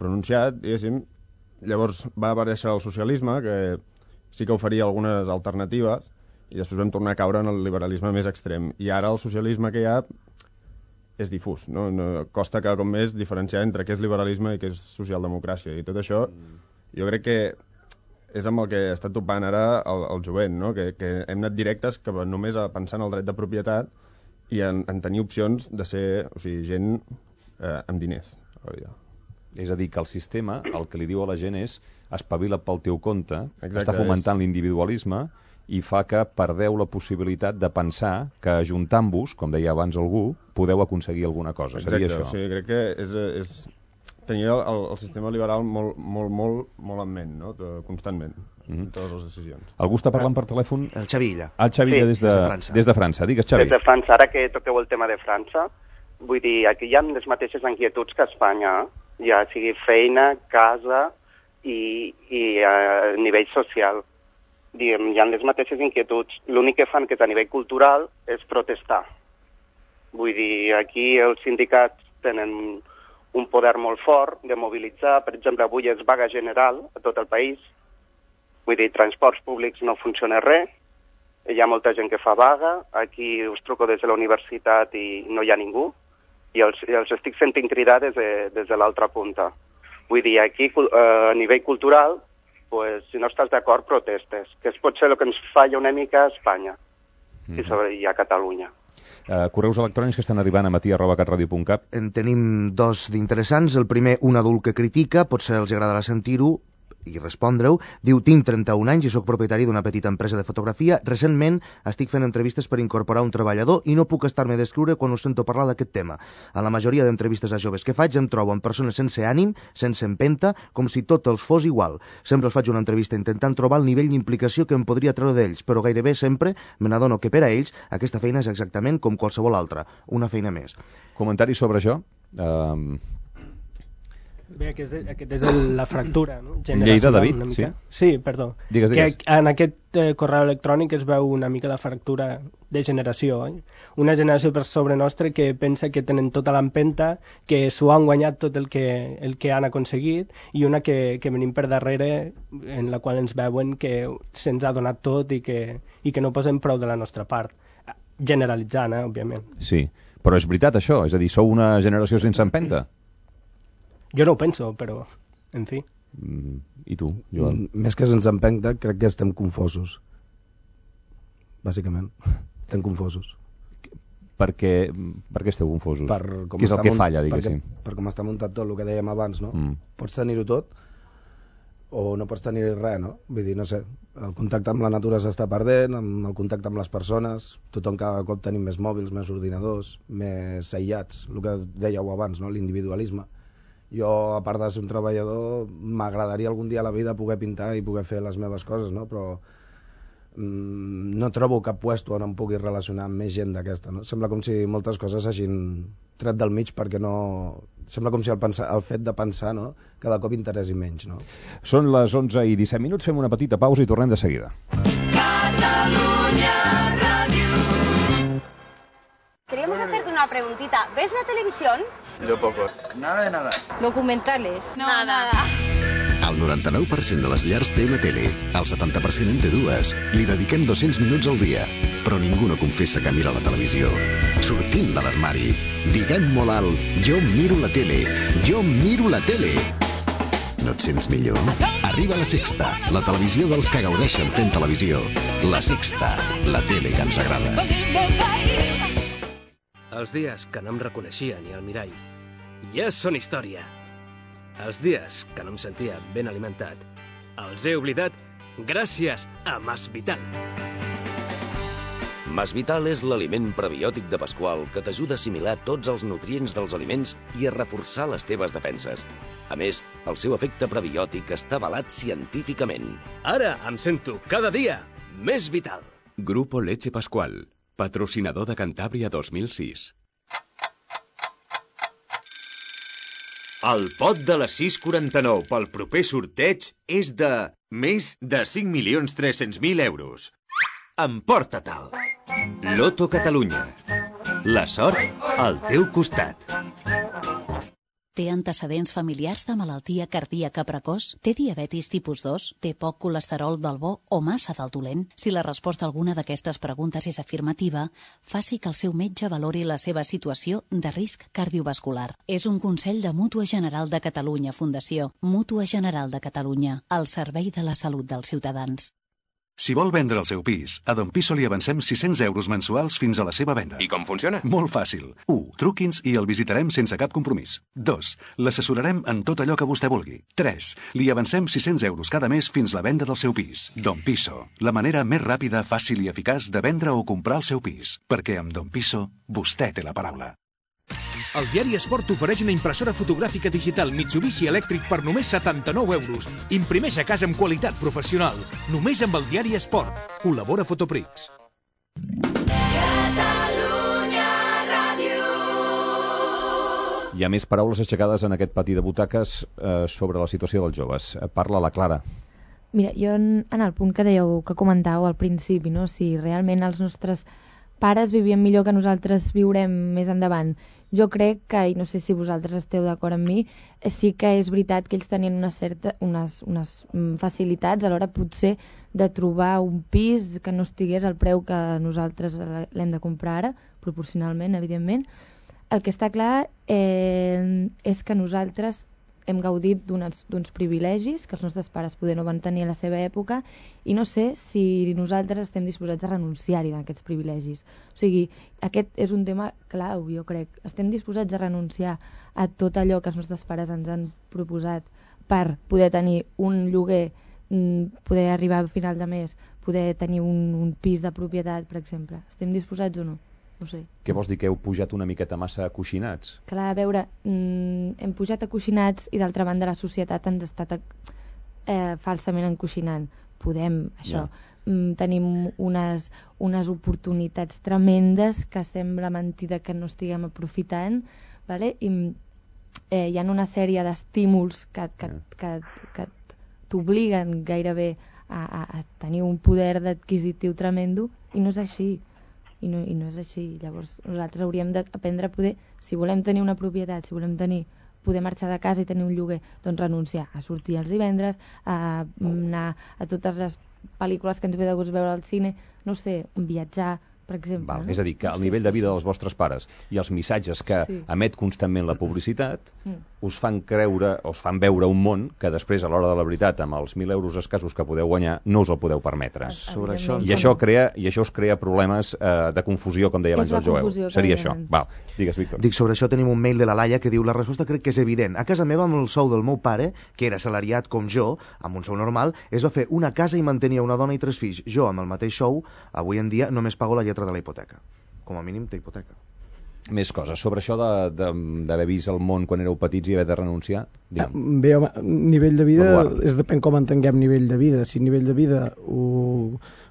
Speaker 5: pronunciat, diguéssim, llavors va aparèixer el socialisme, que sí que oferia algunes alternatives, i després vam tornar a caure en el liberalisme més extrem. I ara el socialisme que hi ha és difús, no? No, costa cada cop més diferenciar entre què és liberalisme i què és socialdemocràcia, i tot això jo crec que és amb el que està topant ara el, el jovent, no? que, que hem anat directes que només a pensar en el dret de propietat i en, en tenir opcions de ser, o sigui, gent eh, amb diners.
Speaker 2: És a dir, que el sistema el que li diu a la gent és espavila pel teu compte,
Speaker 5: exacte,
Speaker 2: està fomentant
Speaker 5: és...
Speaker 2: l'individualisme i fa que perdeu la possibilitat de pensar que ajuntant-vos, com deia abans algú, podeu aconseguir alguna cosa.
Speaker 5: Exacte,
Speaker 2: seria això.
Speaker 5: O sigui, crec que és, és tenir el, el sistema liberal molt, molt, molt, molt en ment, no? Constantment, mm-hmm. en totes les decisions.
Speaker 2: Algú està parlant per telèfon?
Speaker 3: El Xavilla.
Speaker 2: El Xavilla, sí. des, de, des, de França. des de França. Digues, Xavi.
Speaker 12: Des de França, ara que toqueu el tema de França, vull dir, aquí hi ha les mateixes inquietuds que a Espanya, ja sigui feina, casa i, i a nivell social. diguem, hi ha les mateixes inquietuds. L'únic que fan, que és a nivell cultural, és protestar. Vull dir, aquí els sindicats tenen un poder molt fort de mobilitzar. Per exemple, avui és vaga general a tot el país. Vull dir, transports públics no funciona res. Hi ha molta gent que fa vaga. Aquí us truco des de la universitat i no hi ha ningú. I els, i els estic sentint cridar des de, des de l'altra punta. Vull dir, aquí a nivell cultural, pues, si no estàs d'acord, protestes, que és potser el que ens falla una mica a Espanya mm. i, sobre, i a Catalunya.
Speaker 2: Uh, correus electrònics que estan arribant a matí arroba catradio punt cat.
Speaker 3: En tenim dos d'interessants. El primer, un adult que critica, potser els agradarà sentir-ho i respondre-ho. Diu, tinc trenta-un anys i sóc propietari d'una petita empresa de fotografia. Recentment estic fent entrevistes per incorporar un treballador i no puc estar-me d'escriure quan us sento parlar d'aquest tema. A la majoria d'entrevistes a joves que faig em trobo amb persones sense ànim, sense empenta, com si tot els fos igual. Sempre els faig una entrevista intentant trobar el nivell d'implicació que em podria treure d'ells, però gairebé sempre me n'adono que per a ells aquesta feina és exactament com qualsevol altra, una feina més.
Speaker 2: Comentari sobre això? Uh...
Speaker 6: Bé, aquest és, aquest és el, la fractura, no?
Speaker 2: Lleida, David, sí?
Speaker 6: Sí, perdó.
Speaker 2: Digues, digues.
Speaker 6: Que en aquest eh, correu electrònic es veu una mica la fractura de generació. Eh? Una generació per sobre nostra que pensa que tenen tota l'empenta, que s'ho han guanyat tot el que, el que han aconseguit, i una que, que venim per darrere, en la qual ens veuen que se'ns ha donat tot i que, i que no posem prou de la nostra part. Generalitzant, eh, òbviament.
Speaker 2: Sí, però és veritat això? És a dir, sou una generació sense empenta?
Speaker 6: Jo no ho penso, però, en fi.
Speaker 2: Mm, I tu, Joan?
Speaker 10: Mm, més que sense empenta, crec que estem confosos. Bàsicament, estem confosos.
Speaker 2: Per què, per què esteu confosos?
Speaker 10: Per
Speaker 2: què és el que falla, diguéssim?
Speaker 10: Per, per com està muntat tot, el que dèiem abans, no?
Speaker 2: Mm.
Speaker 10: Pots tenir-ho tot o no pots tenir res, no? Vull dir, no sé, el contacte amb la natura s'està perdent, amb el contacte amb les persones, tothom cada cop tenim més mòbils, més ordinadors, més aïllats, el que dèieu abans, no? L'individualisme. Jo, a part de ser un treballador, m'agradaria algun dia a la vida poder pintar i poder fer les meves coses, no? Però mm, no trobo cap puesto on em pugui relacionar amb més gent d'aquesta, no? Sembla com si moltes coses hagin tret del mig perquè no... Sembla com si el, pensar, el fet de pensar, no?, cada cop interessi menys, no?
Speaker 2: Són les onze i disset minuts, fem una petita pausa i tornem de seguida.
Speaker 14: Catalunya Radio. Queríamos hacerte una preguntita. ¿Ves la televisión?
Speaker 15: Yo poco. Nada de nada.
Speaker 14: ¿Documentales?
Speaker 15: No,
Speaker 14: nada.
Speaker 16: El noranta-nou per cent de les llars té una tele, el setanta per cent en té dues. Li dediquem dos-cents minuts al dia, però ningú no confessa que mira la televisió. Sortim de l'armari. Diguem molt alt, jo miro la tele, jo miro la tele. No et sents millor? Arriba La Sexta, la televisió dels que gaudeixen fent televisió. La Sexta, la tele que ens agrada.
Speaker 17: Els dies que no em reconeixia ni al mirall ja són història. Els dies que no em sentia ben alimentat els he oblidat gràcies a Mas Vital.
Speaker 18: Mas Vital és l'aliment prebiòtic de Pasqual que t'ajuda a assimilar tots els nutrients dels aliments i a reforçar les teves defenses. A més, el seu efecte prebiòtic està avalat científicament.
Speaker 17: Ara em sento cada dia més vital.
Speaker 19: Grupo Leche Pascual, patrocinador de Cantàbria dos mil sis.
Speaker 20: El pot de les sis quaranta-nou pel proper sorteig és de més de cinc milions tres-cents mil euros. Emporta-te'l. Loto Catalunya. La sort al teu costat.
Speaker 21: Té antecedents familiars de malaltia cardíaca precoç? Té diabetis tipus dos? Té poc colesterol del bo o massa del dolent? Si la resposta a alguna d'aquestes preguntes és afirmativa, faci que el seu metge valori la seva situació de risc cardiovascular. És un consell de Mútua General de Catalunya Fundació. Mútua General de Catalunya, al servei de la salut dels ciutadans.
Speaker 22: Si vol vendre el seu pis, a Don Piso li avancem sis-cents euros mensuals fins a la seva venda.
Speaker 23: I com funciona?
Speaker 22: Molt fàcil. u. Truqui'ns i el visitarem sense cap compromís. dos. L'assessorarem en tot allò que vostè vulgui. tres. Li avancem sis-cents euros cada mes fins la venda del seu pis. Don Piso, la manera més ràpida, fàcil i eficaç de vendre o comprar el seu pis. Perquè amb Don Piso, vostè té la paraula.
Speaker 24: El diari Esport t'ofereix una impressora fotogràfica digital Mitsubishi elèctric per només setanta-nou euros. Imprimeix a casa amb qualitat professional. Només amb el diari Esport. Col·labora Fotoprix.
Speaker 14: Catalunya Ràdio.
Speaker 2: Hi ha més paraules aixecades en aquest pati de butaques eh, sobre la situació dels joves. Parla la Clara.
Speaker 1: Mira, jo en, en el punt que dèieu, que comentàveu al principi, no? Si realment els nostres pares vivien millor que nosaltres viurem més endavant, jo crec que, i no sé si vosaltres esteu d'acord amb mi, sí que és veritat que ells tenien una certa, unes, unes facilitats a l'hora potser de trobar un pis que no estigués al preu que nosaltres l'hem de comprar ara, proporcionalment, evidentment. El que està clar eh, és que nosaltres hem gaudit d'uns privilegis que els nostres pares poder no van tenir a la seva època i no sé si nosaltres estem disposats a renunciar-hi d'aquests privilegis. O sigui, aquest és un tema clau, jo crec. Estem disposats a renunciar a tot allò que els nostres pares ens han proposat per poder tenir un lloguer, poder arribar a final de mes, poder tenir un, un pis de propietat, per exemple. Estem disposats o no? No sé.
Speaker 2: Què vols dir, que heu pujat una miqueta massa acoixinats?
Speaker 1: Clar, a veure, mm, hem pujat acoixinats i d'altra banda la societat ens està eh, falsament encoixinant. Podem, això, yeah. mm, tenim unes, unes oportunitats tremendes que sembla mentida que no estiguem aprofitant, vale? I eh, hi ha una sèrie d'estímuls que, que, yeah. que, que t'obliguen gairebé a, a, a tenir un poder adquisitiu tremendo i no és així. I no, i no és així. Llavors nosaltres hauríem d'aprendre a poder, si volem tenir una propietat, si volem tenir, poder marxar de casa i tenir un lloguer, doncs renunciar a sortir els divendres, a anar a totes les pel·lícules que ens ve de gust veure al cine, no sé, viatjar, per exemple.
Speaker 2: Val,
Speaker 1: no?
Speaker 2: És a dir, que el
Speaker 1: sí,
Speaker 2: nivell
Speaker 1: sí,
Speaker 2: de vida
Speaker 1: sí.
Speaker 2: dels vostres pares i els missatges que
Speaker 1: sí.
Speaker 2: emet constantment la publicitat
Speaker 1: mm.
Speaker 2: us fan creure, us fan veure un món que després, a l'hora de la veritat, amb els mil euros escassos que podeu guanyar, no us el podeu permetre.
Speaker 3: Sobre això...
Speaker 2: I això crea, i això us crea problemes eh, de confusió, com deia abans el Joel. Seria això. Val, digues, Víctor.
Speaker 3: Dic, sobre això tenim un mail de la Laia que diu: la resposta crec que és evident. A casa meva, amb el sou del meu pare, que era assalariat com jo, amb un sou normal, es va fer una casa i mantenia una dona i tres fills. Jo, amb el mateix sou, avui en dia només pago la lletra de la hipoteca. Com a mínim té hipoteca.
Speaker 2: Més coses. Sobre això d'haver vist el món quan éreu petits i haver de renunciar? Digue'm.
Speaker 11: Bé, home, nivell de vida, és depèn com entenguem nivell de vida. Si nivell de vida ho,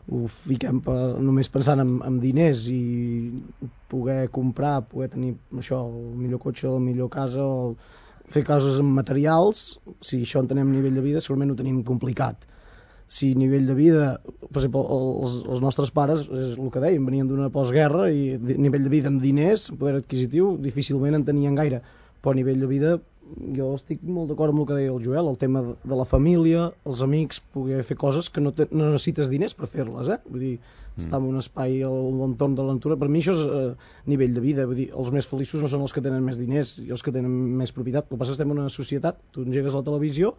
Speaker 11: ho fiquem per, només pensant en, en diners i poder comprar, poder tenir això, el millor cotxe, la millor casa, o fer coses amb materials, si això entenem nivell de vida, segurament ho tenim complicat. Si nivell de vida, per exemple, els, els nostres pares, és el que dèiem, venien d'una postguerra i nivell de vida amb diners, poder adquisitiu, difícilment en tenien gaire. Però a nivell de vida, jo estic molt d'acord amb el que deia el Joel, el tema de la família, els amics, poder fer coses que no, te, no necessites diners per fer-les, eh? Vull dir, mm. estar en un espai a l'entorn de l'aventura, per mi això és eh, nivell de vida. Vull dir, els més feliços no són els que tenen més diners i els que tenen més propietat. El que passa és que estem en una societat, tu engegues la televisió,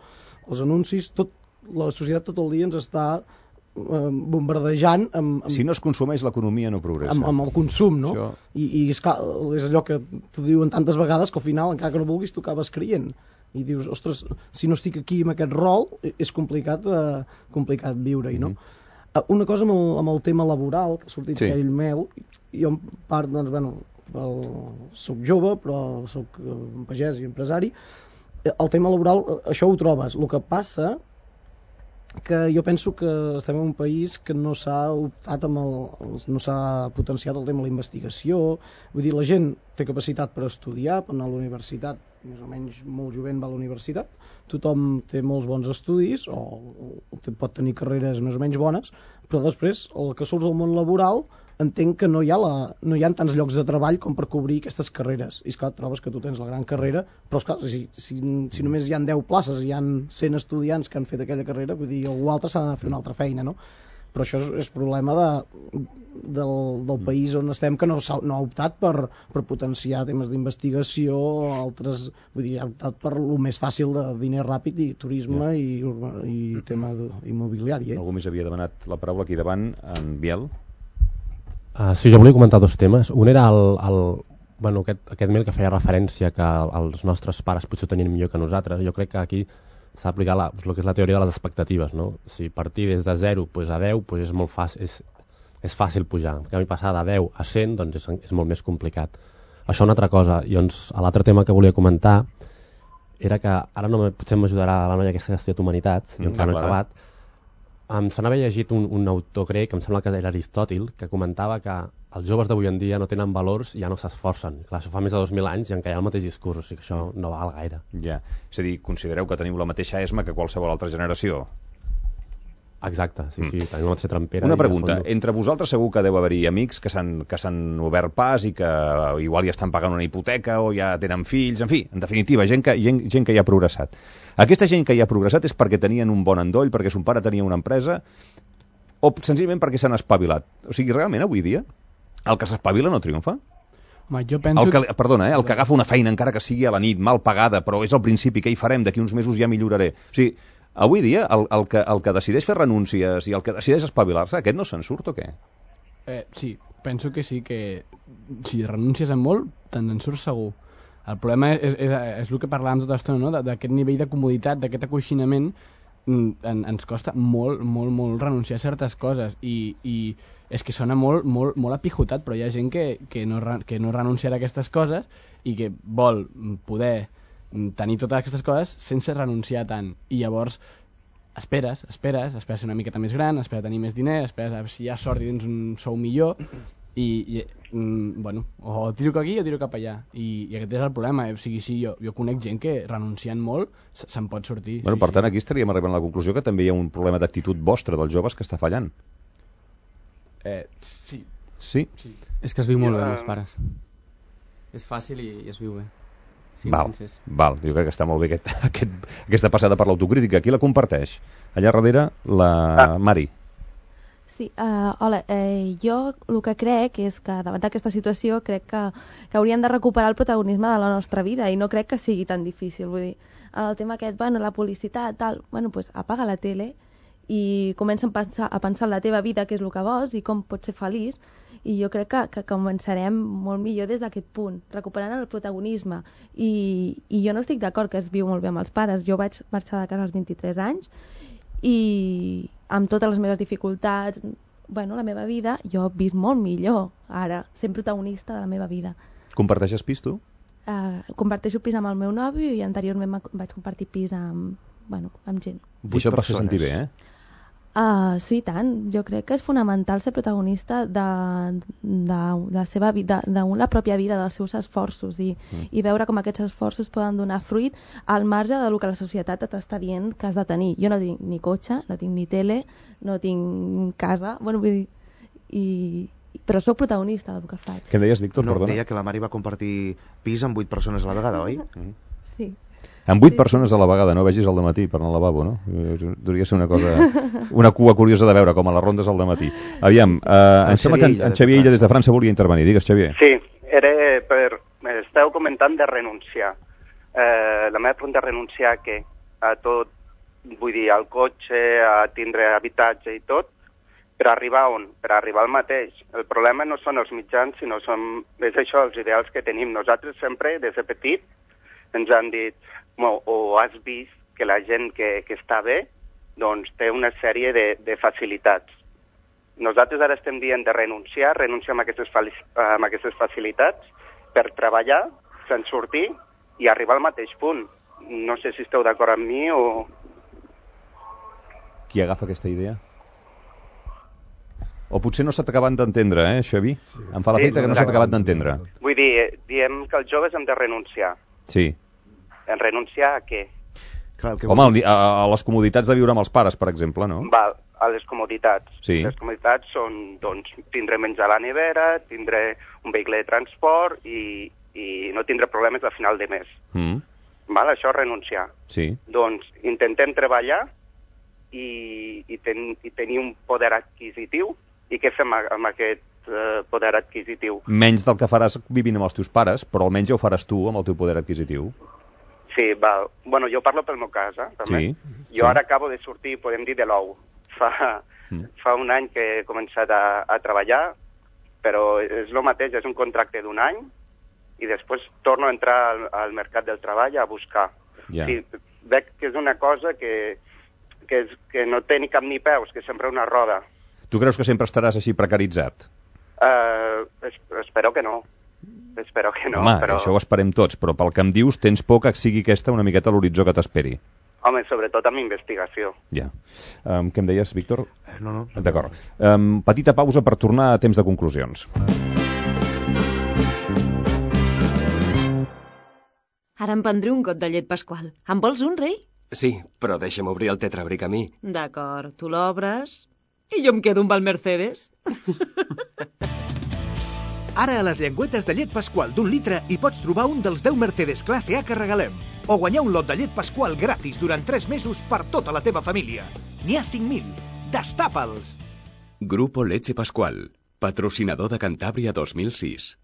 Speaker 11: els anuncis, tot la societat tot el dia ens està eh, bombardejant amb, amb,
Speaker 2: si no es consumeix, l'economia no progressa.
Speaker 11: Amb, amb el consum, no?
Speaker 2: Això...
Speaker 11: I, i és, clar, és allò que t'ho diuen tantes vegades que al final, encara que no vulguis, tu acabes creient. I dius, ostres, si no estic aquí amb aquest rol, és complicat, eh, complicat viure-hi, no? Mm-hmm. Una cosa amb el, amb el tema laboral, que ha sortit sí. aquell mail, jo en part, doncs, bueno, el, soc jove, però soc un pagès i empresari, el tema laboral, això ho trobes. El que passa que jo penso que estem en un país que no s'ha optat amb el, no s'ha potenciat el tema de la investigació. Vull dir, la gent té capacitat per estudiar, per anar a la universitat, més o menys molt jovent va a la universitat, tothom té molts bons estudis o, o pot tenir carreres més o menys bones, però després el que surts al món laboral entenc que no hi ha, la, no hi ha tants llocs de treball com per cobrir aquestes carreres. I esclar, trobes que tu tens la gran carrera, però esclar, si, si, si només hi ha deu places i hi ha cent estudiants que han fet aquella carrera, vull dir, algú altre s'ha de fer una altra feina, no? Però això és, és problema de, del, del país on estem, que no, no ha optat per, per potenciar temes d'investigació, altres, vull dir, ha optat per el més fàcil de diner ràpid i turisme ja. i, i tema immobiliari. Eh?
Speaker 2: Algú més havia demanat la paraula aquí davant, en Biel.
Speaker 4: Uh, sí, jo volia comentar dos temes. Un era el, el, bueno, aquest, aquest mail que feia referència que els nostres pares potser tenien millor que nosaltres. Jo crec que aquí s'ha d'aplicar la, el que és la teoria de les expectatives, no? Si partir des de zero pues, a deu pues, és molt fàcil, és, és fàcil pujar. En canvi, passar de deu a cent doncs, és, és molt més complicat. Això una altra cosa. I doncs, l'altre tema que volia comentar era que ara no, potser m'ajudarà la noia aquesta que ha estudiat humanitats, i encara no he acabat. Em se n'havia llegit un, un autor grec, em sembla que era Aristòtil, que comentava que els joves d'avui en dia no tenen valors i ja no s'esforcen. Clar, això fa més de dos mil anys i encara hi ha el mateix discurs, o sigui que això no val gaire.
Speaker 2: Ja, és a dir, considereu que teniu la mateixa esma que qualsevol altra generació?
Speaker 4: Exacte, sí, sí, tenim una mateixa trampera.
Speaker 2: Una pregunta, entre vosaltres segur que deu haver-hi amics que s'han obert pas i que igual ja estan pagant una hipoteca o ja tenen fills, en fi, en definitiva, gent que, gent, gent que ja ha progressat. Aquesta gent que ja ha progressat és perquè tenien un bon endoll, perquè son pare tenia una empresa, o senzillament perquè s'han espavilat? O sigui, realment, avui dia, el que s'espavila no triomfa?
Speaker 7: Home, jo penso...
Speaker 2: El que, perdona, eh, el que agafa una feina encara que sigui a la nit, mal pagada, però és al principi, què hi farem? D'aquí uns mesos ja milloraré. O sigui, avui dia, el, el, que, el que decideix fer renúncies i el que decideix espavilar-se, aquest no se'n surt o què?
Speaker 7: Eh, sí, penso que sí, que si renúncies en molt, te'n surts segur. El problema és, és, és el que parlàvem tota l'estona, no? D'aquest nivell de comoditat, d'aquest acoixinament, en, ens costa molt, molt, molt renunciar a certes coses i, i és que sona molt, molt, molt apijotat, però hi ha gent que, que, no, que no renunciarà a aquestes coses i que vol poder tenir totes aquestes coses sense renunciar tant. I llavors esperes, esperes, esperes ser una miqueta més gran, esperes tenir més diner, esperes a veure si hi ha sort i tens un sou millor i, i mm, bueno, o tiro cap aquí o tiro cap allà. I, i aquest és el problema. O sigui, sí, jo, jo conec gent que renunciant molt se'n pot sortir.
Speaker 2: Bueno,
Speaker 7: sí,
Speaker 2: per tant,
Speaker 7: sí.
Speaker 2: Aquí estaríem arribant a la conclusió que també hi ha un problema d'actitud vostra dels joves que està fallant.
Speaker 7: Eh, sí.
Speaker 2: Sí?
Speaker 7: sí.
Speaker 8: És que es viu molt bé amb els pares. És fàcil i, i es viu bé.
Speaker 2: Val, val, jo crec que està molt bé aquest, aquest, aquesta passada per l'autocrítica. Qui la comparteix? Allà darrere, la ah. Mari.
Speaker 1: Sí, uh, hola, eh, jo el que crec és que davant d'aquesta situació crec que, que hauríem de recuperar el protagonisme de la nostra vida i no crec que sigui tan difícil. Vull dir, el tema aquest, bueno, la publicitat, tal, bueno, pues apaga la tele i comença a pensar, a pensar en la teva vida, què és el que vols i com pots ser feliç. I jo crec que, que començarem molt millor des d'aquest punt, recuperant el protagonisme. I, i jo no estic d'acord que es viu molt bé amb els pares. Jo vaig marxar de casa als vint-i-tres anys i amb totes les meves dificultats, bueno, la meva vida, jo he vist molt millor ara, sent protagonista de la meva vida.
Speaker 2: Comparteixes pis, tu?
Speaker 1: Uh, comparteixo pis amb el meu nòvio i anteriorment vaig compartir pis amb, bueno, amb gent.
Speaker 2: I això et va fer sentir bé, eh?
Speaker 1: Uh, sí, tant. Jo crec que és fonamental ser protagonista de, de, de la seva vida, de la pròpia vida, dels seus esforços i, mm. i veure com aquests esforços poden donar fruit al marge del que la societat t'està dient que has de tenir. Jo no tinc ni cotxe, no tinc ni tele, no tinc casa, bueno, vull dir, i, però sóc protagonista del que faig.
Speaker 2: Què deies, Víctor?
Speaker 3: No,
Speaker 2: Perdona.
Speaker 3: deia que la Mari va compartir pis amb vuit persones a la vegada, oi?
Speaker 1: Mm. Sí.
Speaker 2: Amb vuit
Speaker 1: sí,
Speaker 2: persones
Speaker 1: sí.
Speaker 2: a la vegada, no vegis al dematí per anar al lavabo, no? Devia ser una cosa, una cua curiosa de veure, com a les rondes al dematí. Aviam, sí, sí. Uh, em sembla que en, en Xavier Illa des de França volia intervenir. Digues, Xavier.
Speaker 12: Sí, era per... Esteu comentant de renunciar. Eh, la meva pregunta és renunciar a què? A tot, vull dir, al cotxe, a tindre habitatge i tot, per arribar on? Per arribar al mateix. El problema no són els mitjans, sinó són, és això, els ideals que tenim. Nosaltres sempre, des de petit, ens han dit, o, o has vist que la gent que, que està bé doncs té una sèrie de, de facilitats. Nosaltres ara estem dient de renunciar, renunciar amb aquestes, amb aquestes facilitats per treballar, se'n sortir i arribar al mateix punt. No sé si esteu d'acord amb mi o...
Speaker 2: Qui agafa aquesta idea? O potser no s'ha acabat d'entendre, eh, Xavi? Sí. Em fa la feita sí, que no s'ha acabat d'entendre.
Speaker 12: Vull dir, diem que els joves hem de renunciar.
Speaker 2: Sí.
Speaker 12: En renunciar a què?
Speaker 3: Clar, que
Speaker 2: Home, a, a les comoditats de viure amb els pares, per exemple, no?
Speaker 12: Val, a les comoditats.
Speaker 2: Sí.
Speaker 12: Les comoditats són, doncs, tindre menjar a la nevera, tindre un vehicle de transport i, i no tindre problemes a final de mes.
Speaker 2: Mm.
Speaker 12: Val, això és renunciar.
Speaker 2: Sí.
Speaker 12: Doncs intentem treballar i, i, ten, i tenir un poder adquisitiu. I què fem amb aquest eh, poder adquisitiu?
Speaker 2: Menys del que faràs vivint amb els teus pares, però almenys ja ho faràs tu amb el teu poder adquisitiu.
Speaker 12: Sí, val. Bueno, jo parlo pel meu cas, eh, també.
Speaker 2: Sí.
Speaker 12: Jo
Speaker 2: sí.
Speaker 12: ara acabo de sortir, podem dir, de l'ou. Fa, mm. fa un any que he començat a, a treballar, però és el mateix, és un contracte d'un any, i després torno a entrar al, al mercat del treball a buscar.
Speaker 2: Yeah.
Speaker 12: Sí, veig que és una cosa que, que, és, que no té ni cap ni peus, que és sempre una roda.
Speaker 2: Tu creus que sempre estaràs així precaritzat?
Speaker 12: Uh, es, espero que no. Espero que no.
Speaker 2: Home,
Speaker 12: però...
Speaker 2: això ho esperem tots, però pel que em dius tens por que sigui aquesta una miqueta l'horitzó que t'esperi.
Speaker 12: Home, sobretot amb investigació.
Speaker 2: Ja. Um, què em deies, Víctor?
Speaker 3: Eh, no, no.
Speaker 2: D'acord. Um, petita pausa per tornar a temps de conclusions.
Speaker 9: Ara em prendré un got de llet Pasqual. En vols un, rei?
Speaker 5: Sí, però deixa'm obrir el tetrabric a mi.
Speaker 9: D'acord, tu l'obres i jo em quedo amb el Mercedes.
Speaker 24: Ara a les llengüetes de llet Pasqual d'un litre hi pots trobar un dels deu Mercedes classe A que regalem. O guanyar un lot de llet Pasqual gratis durant tres mesos per tota la teva família. N'hi ha cinc mil. Destapa'ls!
Speaker 19: Grupo Leche Pascual, patrocinador de Cantàbria dos mil sis.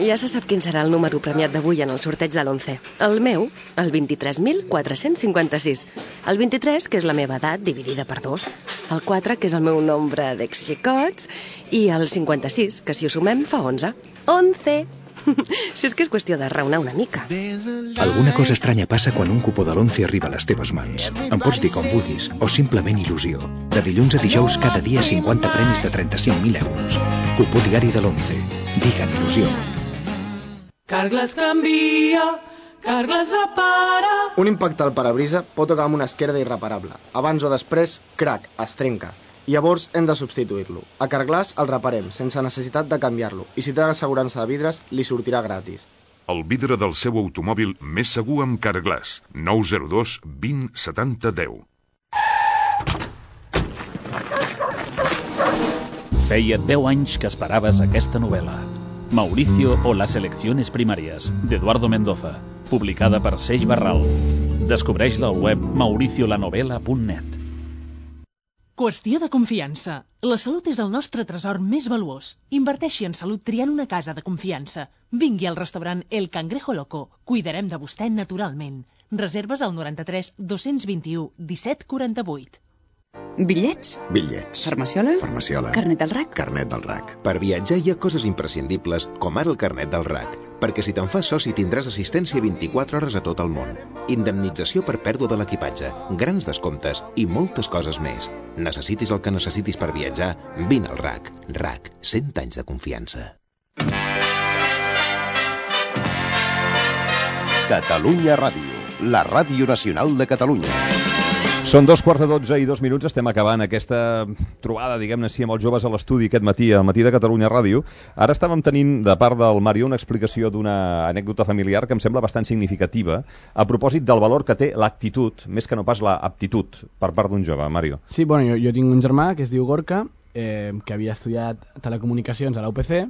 Speaker 13: Ja se sap quin serà el número premiat d'avui en el sorteig de l'onze. El meu, el vint-i-tres mil quatre-cents cinquanta-sis. El vint-i-tres, que és la meva edat, dividida per dos. El quatre, que és el meu nombre d'ex-xicots. I el cinquanta-sis, que si ho sumem fa onze. onze! Si és que és qüestió de raonar una mica.
Speaker 23: Alguna cosa estranya passa quan un cupó de l'onze arriba a les teves mans. Em pots dir com vulguis, o simplement il·lusió. De dilluns a dijous, cada dia cinquanta premis de trenta-cinc mil euros. Cupó diari de l'onze. Digue'n il·lusió.
Speaker 25: Carglass canvia, Carglass repara.
Speaker 26: Un impacte al parabrisa pot tocar amb una esquerda irreparable. Abans o després, crac, es trenca. Llavors hem de substituir-lo. A Carglass el reparem, sense necessitat de canviar-lo. I si té l'assegurança de vidres, li sortirà gratis.
Speaker 27: El vidre del seu automòbil més segur amb Carglass. nou zero dos vint setanta deu.
Speaker 28: Feia deu anys que esperaves aquesta novel·la. Mauricio o las elecciones primarias, d'Eduardo Mendoza, publicada per Seix Barral. Descobreix-la al web mauriciolanovela punt net.
Speaker 29: Qüestió de confiança. La salut és el nostre tresor més valuós. Inverteixi en salut triant una casa de confiança. Vingui al restaurant El Cangrejo Loco. Cuidarem de vostè naturalment. Reserves al noranta-tres dos-cents vint-i-u disset quaranta-vuit.
Speaker 30: Bitllets?
Speaker 31: Bitllets.
Speaker 30: Farmaciola?
Speaker 31: Farmaciola.
Speaker 30: Carnet del R A C?
Speaker 31: Carnet del R A C. Per viatjar hi ha coses imprescindibles, com ara el carnet del R A C, perquè si te'n fas soci tindràs assistència vint-i-quatre hores a tot el món, indemnització per pèrdua de l'equipatge, grans descomptes i moltes coses més. Necessitis el que necessitis per viatjar, vine al R A C. R A C, cent anys de confiança.
Speaker 32: Catalunya Ràdio, la ràdio nacional de Catalunya.
Speaker 2: Són dos quarts de dotze i dos minuts, estem acabant aquesta trobada, diguem-ne així, amb els joves a l'estudi aquest matí, al matí de Catalunya Ràdio. Ara estàvem tenint, de part del Mario, una explicació d'una anècdota familiar que em sembla bastant significativa, a propòsit del valor que té l'actitud, més que no pas l'aptitud, per part d'un jove, Mario.
Speaker 7: Sí, bueno, jo, jo tinc un germà que es diu Gorka, eh, que havia estudiat telecomunicacions a la U P C,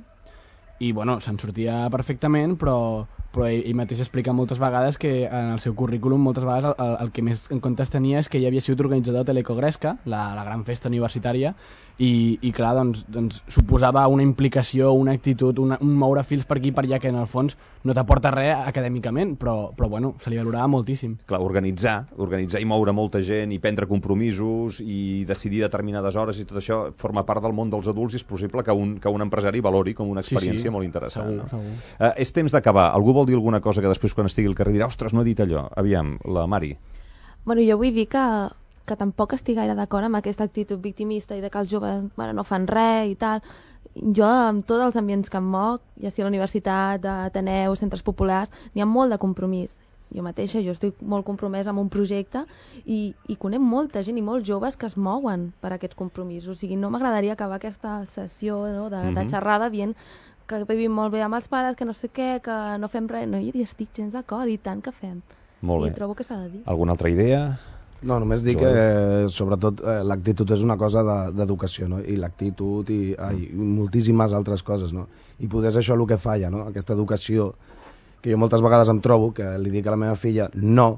Speaker 7: i bueno, se'n sortia perfectament, però, però ell, ell mateix explica moltes vegades que en el seu currículum moltes vegades el, el que més en comptes tenia és que ell havia sigut organitzador de l'Ecogresca, la, la gran festa universitària, i, i clar, doncs, doncs suposava una implicació, una actitud, una, un moure fils per aquí i per allà que en el fons no t'aporta res acadèmicament, però, però bueno, se li valorava moltíssim.
Speaker 2: Clar, organitzar, organitzar i moure molta gent i prendre compromisos i decidir determinades hores i tot això forma part del món dels adults i és possible que un, que un empresari valori com una experiència sí, sí. molt interessant.
Speaker 7: Segur,
Speaker 2: no?
Speaker 7: segur.
Speaker 2: Uh, és temps d'acabar. Algú vol dir alguna cosa que després quan estigui al carrer dirà ostres, no he dit allò. Aviam, la Mari.
Speaker 1: Bueno, jo vull dir que, que tampoc estic gaire d'acord amb aquesta actitud victimista i de que els joves bueno, no fan res i tal. Jo, amb tots els ambients que em moc, ja sigui a la universitat, a Ateneu, centres populars, n'hi ha molt de compromís. Jo mateixa, jo estic molt compromesa amb un projecte i, i conec molta gent i molts joves que es mouen per aquests compromisos. O sigui, no m'agradaria acabar aquesta sessió no, de, mm-hmm. de xerrada dient que vivim molt bé amb els pares, que no sé què, que no fem res. No, hi estic gens d'acord, i tant que fem.
Speaker 2: Molt bé.
Speaker 1: I trobo que s'ha de dir.
Speaker 2: Alguna altra idea?
Speaker 10: No, només dir que, eh, sobretot, eh, l'actitud és una cosa d'educació, de, no? I l'actitud i, ai, i moltíssimes altres coses, no? I poder és això el que falla, no? Aquesta educació que jo moltes vegades em trobo, que li dic a la meva filla no,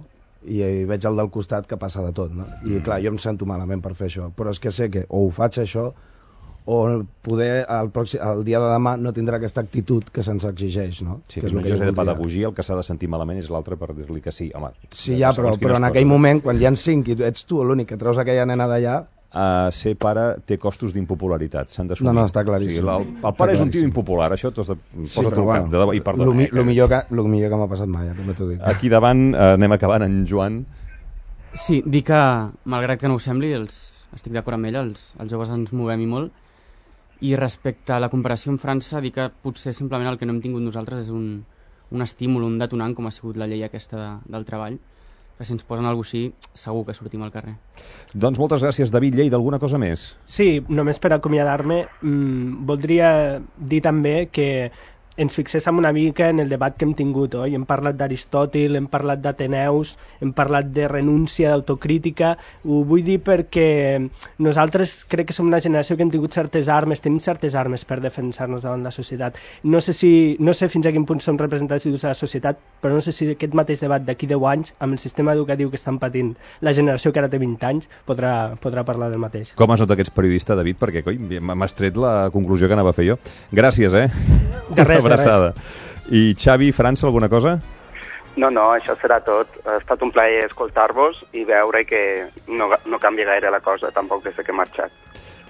Speaker 10: i veig el del costat que passa de tot, no? I mm. clar, jo em sento malament per fer això, però és que sé que o ho faig això o poder el, pròxim, el dia de demà no tindrà aquesta actitud que se'ns exigeix, no?
Speaker 2: Sí,
Speaker 10: que
Speaker 2: és una cosa de pedagogia, el que s'ha de sentir malament és l'altre per dir-li que sí. Home,
Speaker 10: sí, ja, però, però en aquell moment, quan hi ha cinc i ets tu l'únic que treus aquella nena d'allà...
Speaker 2: Uh, ser pare té costos d'impopularitat, s'han d'assumir.
Speaker 10: No, no, està claríssim.
Speaker 2: O sigui, el, el pare és un tio impopular, això t'has de posar tu al cap, de debò, i perdona.
Speaker 10: Lo, mi, eh, lo, millor que, lo millor que m'ha passat mai, ja, també t'ho dic.
Speaker 2: Aquí davant uh, anem acabant, en Joan.
Speaker 8: Sí, dir que, malgrat que no ho sembli, els, estic d'acord amb ella, els, els joves ens movem i molt, i respecte a la comparació amb França, dir que potser simplement el que no hem tingut nosaltres és un, un estímul, un detonant, com ha sigut la llei aquesta de, del treball, que si ens posen alguna cosa així, segur que sortim al carrer.
Speaker 2: Doncs moltes gràcies, David Lleida. Alguna cosa més?
Speaker 6: Sí, només per acomiadar-me, mmm, voldria dir també que ens fixéssim una mica en el debat que hem tingut, oi? Hem parlat d'Aristòtil, hem parlat d'Ateneus, hem parlat de renúncia, d'autocrítica. Ho vull dir perquè nosaltres crec que som una generació que hem tingut certes armes, tenim certes armes per defensar-nos davant la societat. No sé, si, no sé fins a quin punt som representatius de la societat, però no sé si aquest mateix debat d'aquí deu anys, amb el sistema educatiu que estan patint la generació que ara té vint anys, podrà, podrà parlar del mateix.
Speaker 2: Com has notat que ets periodista, David? Perquè, coi, m'has tret la conclusió que anava a fer jo. Gràcies, eh?
Speaker 6: De res,
Speaker 2: Una abraçada. I Xavi, França, alguna cosa?
Speaker 4: No, no, això serà tot. Ha estat un plaer escoltar-vos i veure que no, no canvia gaire la cosa, tampoc des que he marxat.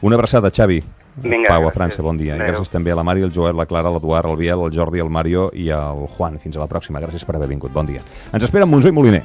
Speaker 2: Una abraçada, Xavi.
Speaker 4: Vinga,
Speaker 2: Pau, a
Speaker 4: gràcies.
Speaker 2: França, bon dia. I
Speaker 4: Adéu.
Speaker 2: gràcies també a la Mari, el Joel, la Clara, l'Eduard, el Biel, el Jordi, el Mario i el Juan. Fins a la pròxima. Gràcies per haver vingut. Bon dia. Ens espera Monzó i Moliner.